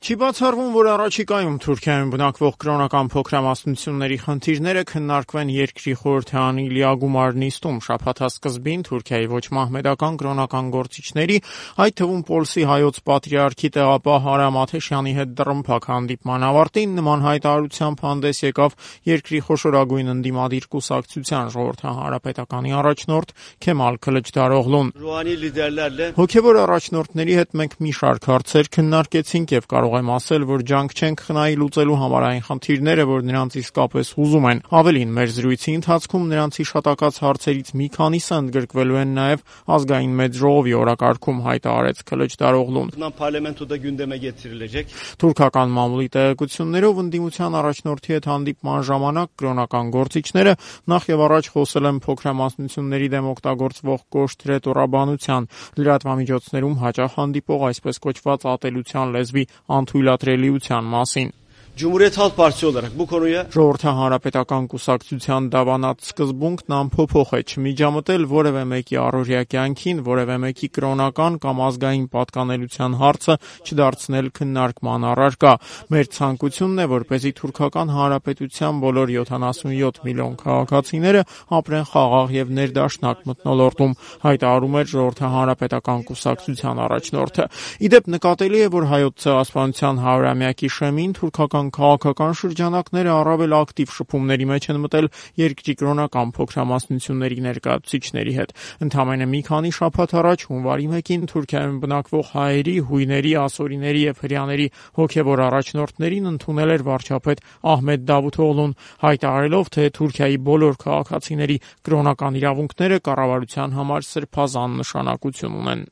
Չի բացառվում, որ առաջիկայում Թուրքիայում բնակվող կրոնական փոքրամասնությունների խնդիրները քննարկվեն երկրի խորհրդարանի լիագումար նիստում։ Շաբաթվա սկզբին Թուրքիայի ոչ մահմեդական կրոնական գործիչների, այդ թվում Պոլսի հայոց պատրիարքի տեղապահ Արամ Աթեշյանի հետ դռնփակ հանդիպման ավարտին նման հայտարարությամբ հանդես եկավ երկրի խոշորագույն ընդդիմադիր կուսակցության ժողովրդական հանրապետականի առաջնորդ Քեմալ Քլիչդարօղլուն։ Հոգևոր առաջնորդների հետ մենք մի շարք հարցեր քննարկեցինք եւ կարող եմ ասել, որ ջանք չենք խնայի լուծելու համարային խնդիրները, որ նրանց իսկապես հուզում են։ Ավելին, մեր զրույցի ընթացքում նրանց հիշատակած հարցերից մի քանիսը ընդգրկվելու են նաեւ ազգային մեծ ժողովի օրակարգում, հայտարարեց Քլիչդարօղլուն։ Թուրքական մամուլի տեղեկություններով ընդդիմության առաջնորդի հետ հանդիպման ժամանակ կրոնական գործիչները նախ եւ առաջ խոսել են փոքրամասնությունների դեմ օգտագործվող կոշտ ռետորաբանության, լրատվամիջոցներում հաճախ հանդիպող այսպես կոչված ատելության լեզվի անթույլատրելիության մասին։ Ժողովրդական հանրապետական կուսակցության դավանած սկզբունքն անփոփոխ է՝ չմիջամտել որևէ մեկի առօրյա կյանքին, որևէ մեկի կրոնական կամ ազգային պատկանելության հարցը չդարձնել քննարկման առարկա։ Մեր ցանկությունն է, որպեսզի թուրքական հանրապետության բոլոր 77 միլիոն քաղաքացիները ապրեն խաղաղ եւ ներդաշնակ մթնոլորտում, հայտարարում էր Ժողովրդական հանրապետական կուսակցության առաջնորդը։ Իդեպ նկատելի է, որ հայոց ցեղասպանության 100-ամյակի շեմին թուրքական քաղաքական շրջանակները առավել ակտիվ շփումների մեջ են մտել երկրի կրոնական փոքրամասնությունների ներկայացուցիչների հետ։ Ընդամենը մի քանի շաբաթ առաջ հունվարի 1-ին Թուրքիայում բնակվող հայերի, հույների, ասորիների եւ հրեաների հոգեվոր առաջնորդներին ընդունել էր վարչապետ Ահմեդ Դավութօղլուն, հայտարարելով, թե Թուրքիայի բոլոր քաղաքացիների կրոնական իրավունքները կառավարության համար սրբազան նշանակություն ունեն։